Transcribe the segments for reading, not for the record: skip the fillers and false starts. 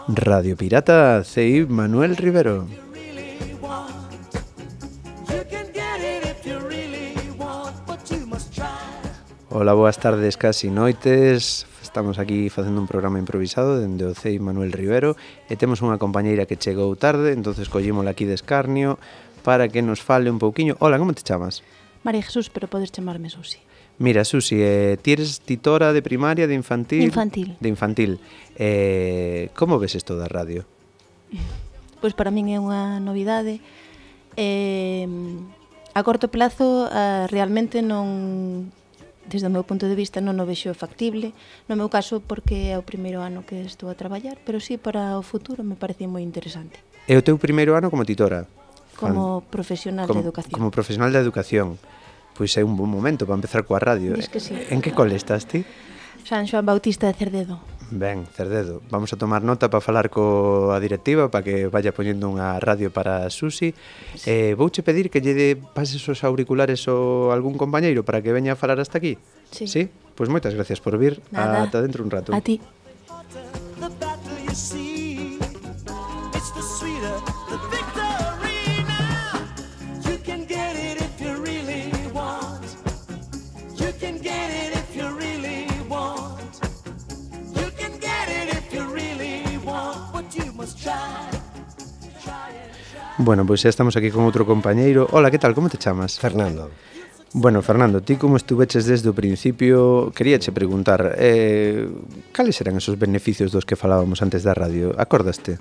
Radio Pirata, CI Manuel Rivero. Hola, boas tardes, casi noites. Estamos aquí facendo un programa improvisado dende o CI Manuel Rivero e temos unha compañeira que chegou tarde, entonces collímola aquí de escarnio para que nos fale un pouquiño. Hola, como te chamas? María Jesús, pero podes chamarme Susi. Mira, Susi, ti eres titora de primaria, de infantil? Infantil. De infantil. Como ves isto da radio? Pois para min é unha novidade. A corto plazo, realmente non... Desde o meu punto de vista non o vexo factible. No meu caso, porque é o primeiro ano que estou a traballar, pero sí para o futuro me parece moi interesante. É o teu primeiro ano como titora? Como profesional de educación. Como profesional de educación. Pois é un bon momento para empezar coa radio. Diz que sí. En que cole estás ti? San Xoán Bautista de Cerdedo. Ben, Cerdedo. Vamos a tomar nota para falar coa directiva para que vaya poñendo unha radio para Susi. Vouche pedir que lle pases os auriculares a algún compañeiro para que veña a falar hasta aquí. Sí. Sí? Pois moitas gracias por vir. Nada. Ata dentro un rato. A ti. Bueno, pois xa estamos aquí con outro compañeiro. Hola, que tal? Como te chamas? Fernando. Bueno, Fernando, ti como estuveches desde o principio, queríache preguntar, cales eran esos beneficios dos que falábamos antes da radio? Acordaste?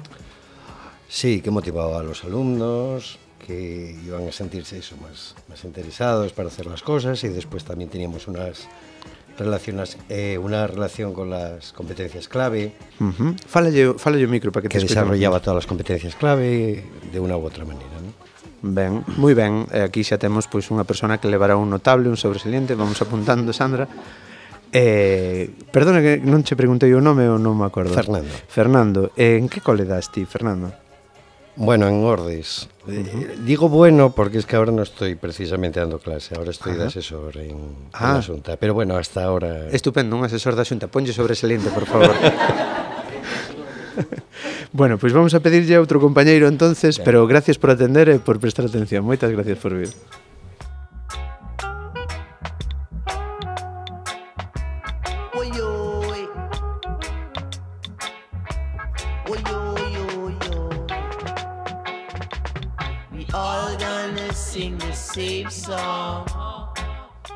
Sí, que motivaba a los alumnos, que iban a sentirse eso, más interesados para hacer las cosas, y después también teníamos una relación con las competencias clave. Fálalle o micro para que te desarrollaba todas las competencias clave de una u otra manera, ¿no? Ben, moi ben. Aquí xa temos pois unha persona que levará un notable, un sobresaliente. Vamos apuntando, Sandra. Perdona que non che preguntei o nome ou non me acordo. Fernando, en que cole das ti, Fernando? Bueno, en Ordes. Digo bueno porque es que ahora no estoy precisamente dando clase, ahora estoy de asesor en la Xunta, pero bueno, hasta ahora... Estupendo, un asesor da Xunta, ponlle sobresaliente, por favor. Bueno, pois vamos a pedirlle a outro compañeiro entonces, pero gracias por atender e por prestar atención. Moitas gracias por vir.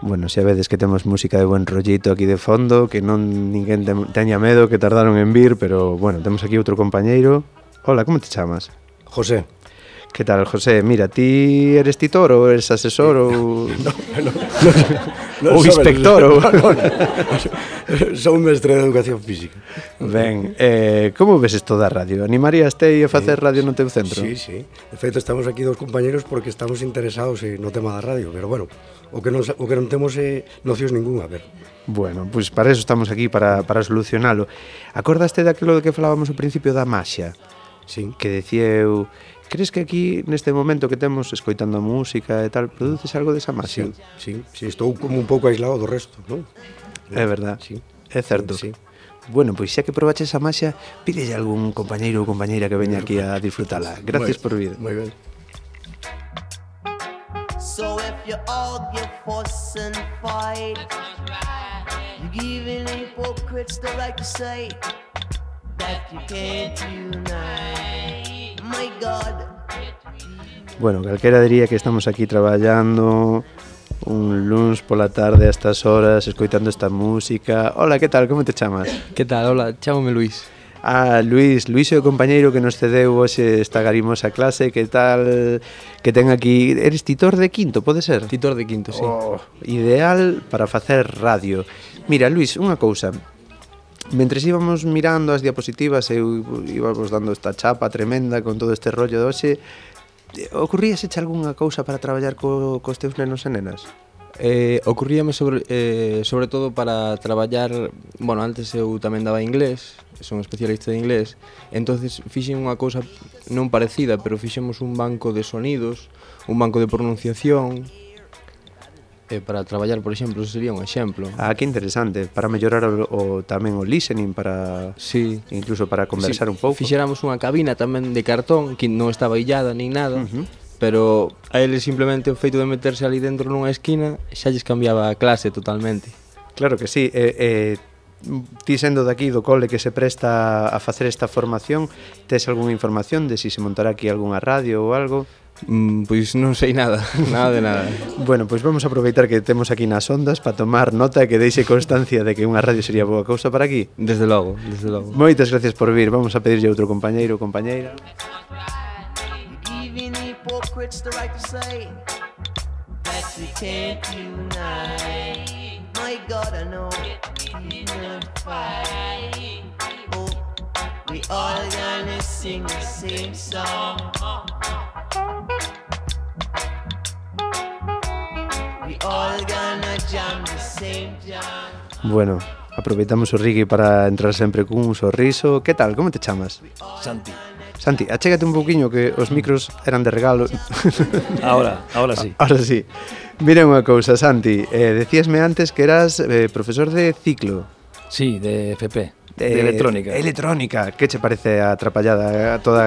Bueno, xa vedes que temos música de buen rollito aquí de fondo, que non ninguén teña medo, que tardaron en vir, pero bueno, temos aquí outro compañeiro. Hola, como te chamas? José. Que tal, José? Mira, ti eres titor ou eres asesor ou... No, ou inspector ou... Son mestre de educación física. Ben, como ves isto da radio? Animaríaste a facer radio no teu centro? Sí. De feito, estamos aquí dos compañeros porque estamos interesados no tema da radio, pero bueno, o que non temos nocións ninguna, a ver. Bueno, pois para eso estamos aquí, para solucionalo. Acordaste daquilo de que falábamos ao principio da maxia? Sí. Que decía eu... Crees que aquí, neste momento que temos, escoitando a música e tal, produces algo desa maxia? Sí, estou como un pouco aislado do resto, non? É verdad, sí. É certo. Sí. Bueno, pois xa que probaches a maxia, pídelle a algún compañeiro ou compañeira que veña aquí a disfrutala. Gracias por vir. Moi ben. So if you argue, fuss and fight, you giving hypocrites the right to say that you can't unite. My God. Bueno, calquera diría que estamos aquí traballando un luns pola tarde a estas horas, escoitando esta música. Hola, que tal? Como te chamas? Que tal? Hola, chámome Luís. Luís é o compañeiro que nos cedeu hoxe esta garimosa clase. Que tal? Que ten aquí... Eres titor de quinto, pode ser? Titor de quinto, sí. Ideal para facer radio. Mira, Luís, unha cousa. Mentres íbamos mirando as diapositivas e íbamos dando esta chapa tremenda con todo este rollo de hoxe, ocurríaseche algunha cousa para traballar cos teus nenos e nenas? Ocurríame sobre todo para traballar, bueno, antes eu tamén daba inglés, son especialista de inglés, entonces fixen unha cousa non parecida, pero fixemos un banco de sonidos, un banco de pronunciación, para traballar, por exemplo, eso sería un exemplo. Ah, que interesante, para mellorar tamén o listening, para Sí. incluso para conversar un pouco. Fixéramos unha cabina tamén de cartón que non estaba illada nin nada, pero a eles simplemente o feito de meterse ali dentro nunha esquina xa lles cambiaba a clase totalmente. Claro que sí, ti sendo daqui do cole que se presta a facer esta formación, tes algunha información de si se montará aquí algunha radio ou algo? Pois non sei nada, nada de nada. Bueno, pois vamos a aproveitar que temos aquí nas ondas para tomar nota e que deixe constancia de que unha radio sería boa cousa para aquí. Desde logo, desde logo. Moitas gracias por vir, vamos a pedirlle a outro compañeiro ou compañeira. Giving hypocrites the right to say that we can't unite. My God, I know we not fight. Oh, we all gonna sing the same song. We all gonna jam the same jam. Bueno, aproveitamos o Rigui para entrar sempre cun sorriso. Que tal, como te chamas? Santi. Santi, achégate un pouquiño que os micros eran de regalo. Ahora sí. Ahora sí. Mira unha cousa, Santi, decíasme antes que eras profesor de ciclo. Sí, de FP, de electrónica. Electrónica, que che parece a atrapallada, toda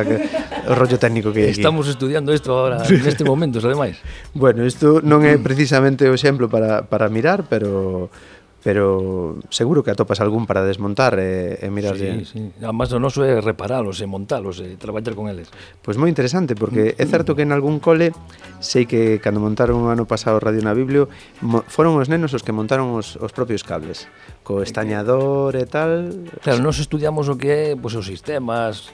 o rollo técnico que hai aquí? Estamos estudiando isto agora, neste momento, ademais. Bueno, isto non é precisamente o exemplo para mirar, pero seguro que atopas algún para desmontar e mirar. Sí. Además, o noso é reparalos e montalos e traballar con eles. Pois moi interesante, porque é certo que en algún cole sei que cando montaron o ano pasado Radio na Biblio foron os nenos os que montaron os propios cables co estañador e tal. Claro, nós estudiamos o que é os sistemas,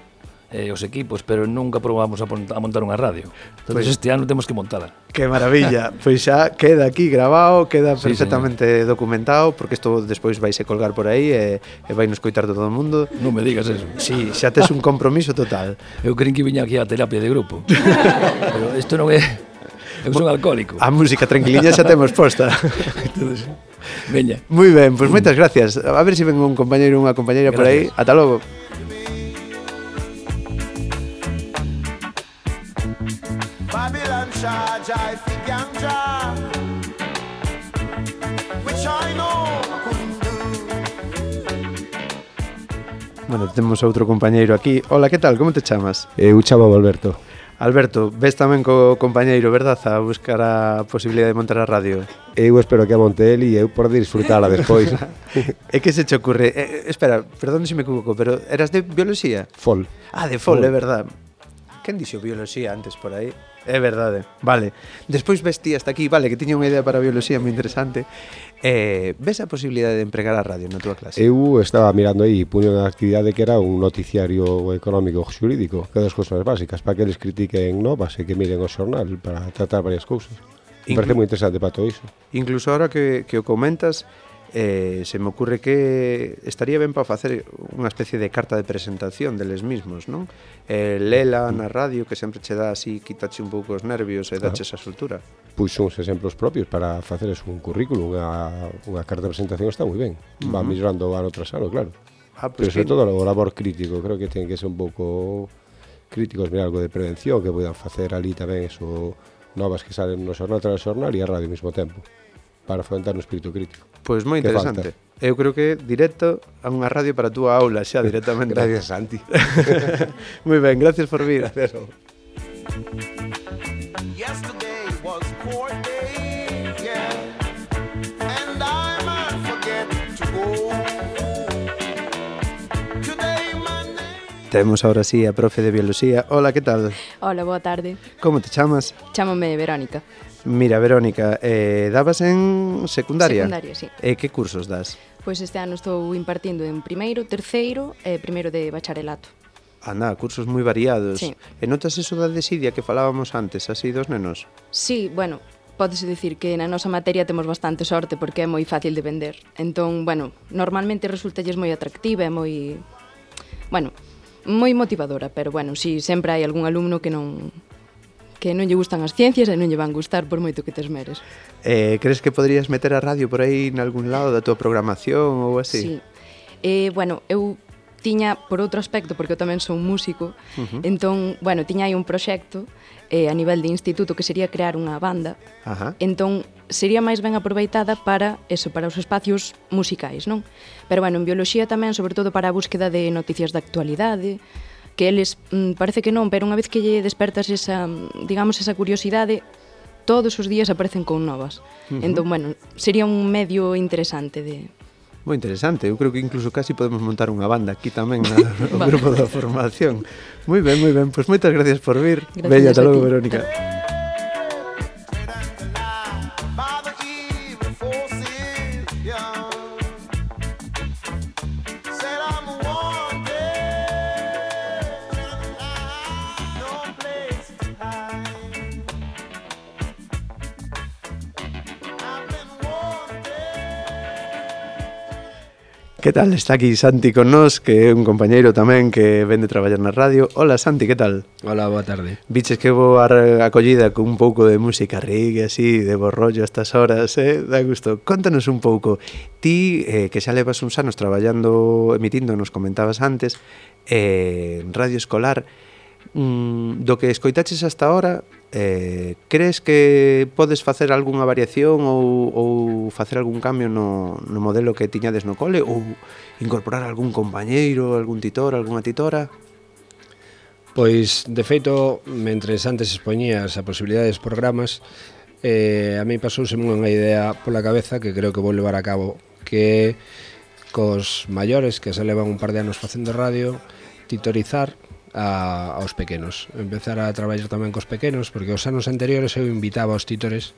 os equipos, pero nunca probamos a montar unha radio. Entón, este ano temos que montala. Que maravilla, pois xa queda aquí grabado, queda Sí, perfectamente documentado, porque isto despois vaise colgar por aí e vai nos coitar todo o mundo. Non me digas eso. Sí, xa tes un compromiso total. Eu creín que viña aquí a terapia de grupo. Pero isto non é... Eu son alcohólico. A música tranquiliña xa temos posta. Entonces, veña. Moi ben, pois moitas gracias. A ver se ven un compañeiro ou unha compañeira por aí. Ata logo. Babylon charge I think ganja, which I know couldn't do. Bueno, temos outro compañeiro aquí. Hola, que tal? Como te chamas? Eu chamame Alberto. Alberto, ves tamén co compañeiro, verdad, a buscar a posibilidade de montar a radio? Eu espero que a monte el e eu poder disfrutala despois. E que se che ocurre? Espera, perdón se me equivoco, pero eras de bioloxía? Fol. Ah, de Fol, é verdad. Quen dixo bioloxía antes por aí? É verdade, vale. Despois ves ti hasta aquí, vale, que tiña unha idea para a bioloxía moi interesante. Ves a posibilidade de empregar a radio na túa clase? Eu estaba mirando aí, puño unha actividade que era un noticiario económico xurídico, que é das cousas básicas, para que eles critiquen novas e que miren o xornal para tratar varias cousas. Me parece moi interesante para todo iso. Incluso ahora que o comentas, se me ocurre que estaría ben para facer unha especie de carta de presentación deles mismos, non? Lela na radio, que sempre che dá así, quitache un pouco os nervios e dache esa soltura. Pois uns exemplos propios para facer un currículum, unha carta de presentación está moi ben. Va mellorando ano tras ano, claro. Pues pero sobre todo o labor crítico, creo que ten que ser un pouco críticos, mirar algo de prevención, que poidan facer ali tamén eso, novas que salen no xornal tras xornal e a radio ao mesmo tempo, para fomentar un espírito crítico. Pois moi interesante. Eu creo que directo a unha radio para a túa aula xa directamente. Gracias, Santi. Moi ben, gracias por vir. Gracias. Yesterday was court day, yeah, and I might forget to go. Today Monday. Temos ahora sí a profe de bioloxía. Hola, que tal? Hola, boa tarde. Como te chamas? Chámame Verónica. Mira, Verónica, dabas en secundaria? Secundaria, sí. E que cursos das? Pois este ano estou impartindo en primeiro, terceiro e primeiro de bacharelato. Anda, cursos moi variados. Sí. E notas eso da desidia que falábamos antes, así dos nenos? Sí, bueno, pódese dicir que na nosa materia temos bastante sorte porque é moi fácil de vender. Entón, bueno, normalmente resultalles moi atractiva e moi... Bueno, moi motivadora, pero bueno, sí, sempre hai algún alumno que non lle gustan as ciencias e non lle van gustar por moito que te esmeres. Crees que poderías meter a radio por aí en algún lado da tua programación ou así? Sí. Bueno, eu tiña, por outro aspecto, porque eu tamén son músico, entón, bueno, tiña aí un proxecto a nivel de instituto que sería crear unha banda. Ajá. Entón, sería máis ben aproveitada para eso, para os espacios musicais, non? Pero bueno, en bioloxía tamén, sobre todo para a búsqueda de noticias de actualidade, que eles parece que non, pero unha vez que lle despertas esa, digamos, esa curiosidade, todos os días aparecen con novas. Entón, bueno, sería un medio interesante de... Moi interesante, eu creo que incluso casi podemos montar unha banda aquí tamén no grupo da formación. Moi ben, pois moitas gracias por vir. Veña, ata logo, Verónica. Que tal? Está aquí Santi con nós, que é un compañeiro tamén que vende traballar na radio. Hola Santi, que tal? Hola, boa tarde. Viches que boa acollida con un pouco de música reggae así, de bo rollo a estas horas, da gusto. Contanos un pouco, ti que xa levas uns anos traballando, emitindo, nos comentabas antes, en radio escolar, do que escoitaches hasta ahora, crees que podes facer algunha variación ou facer algún cambio no modelo que tiñades no cole, ou incorporar algún compañeiro, algún titor, algunha titora? Pois, de feito, mentres antes expoñías a posibilidades de programas, a mí pasouse unha idea pola cabeza que creo que vou levar a cabo, que cos maiores que se levan un par de anos facendo radio, titorizar aos pequenos, empezar a traballar tamén cos pequenos, porque os anos anteriores eu invitaba aos titores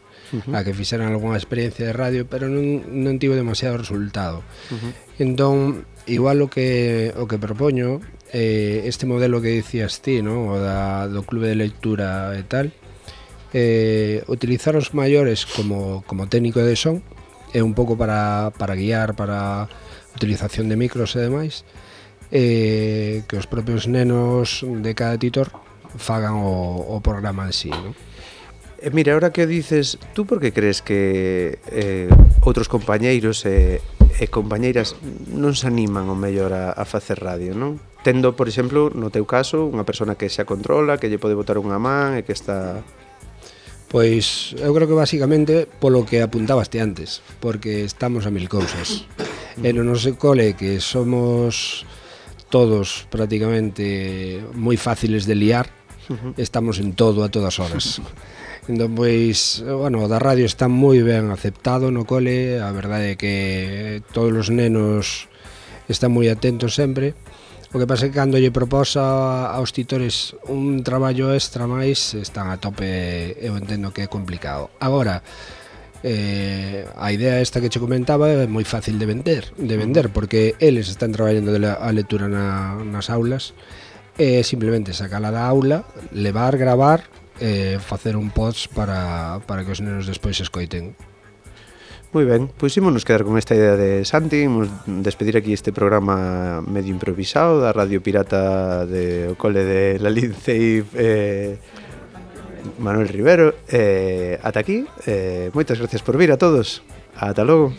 a que fixeran algunha experiencia de radio, pero non tivo demasiado resultado. Entón, igual o que propoño, este modelo que dicías ti, ¿no? O do clube de lectura e tal, utilizar os maiores como técnico de son, é un pouco para guiar, para utilización de micros e demais, que os propios nenos de cada titor fagan o programa en sí, ¿no? Mira, ahora que dices, tú por que crees que outros compañeiros e compañeiras non se animan o mellor a facer radio, non? Tendo, por exemplo, no teu caso, unha persona que xa controla, que lle pode botar unha man e que está... Pois eu creo que basicamente polo que apuntabaste antes, porque estamos a mil cousas. E no noso cole, que somos todos prácticamente moi fáciles de liar, estamos en todo a todas horas. Entón, pois, bueno, da radio está moi ben aceptado no cole, a verdade é que todos os nenos están moi atentos sempre. O que pasa é que cando lle proposa aos titores un traballo extra máis, están a tope, eu entendo que é complicado. Agora, a idea esta que che comentaba é moi fácil de vender, porque eles están traballando a lectura nas aulas, e simplemente sacala da aula, levar, gravar, facer un post para que os nenos despois escoiten. Moi ben, pois ímonos quedar con esta idea de Santi, imos despedir aquí este programa medio improvisado da Radio Pirata de o cole de La Lince Manuel Rivero. Ata aquí, moitas gracias por vir a todos. Ata logo.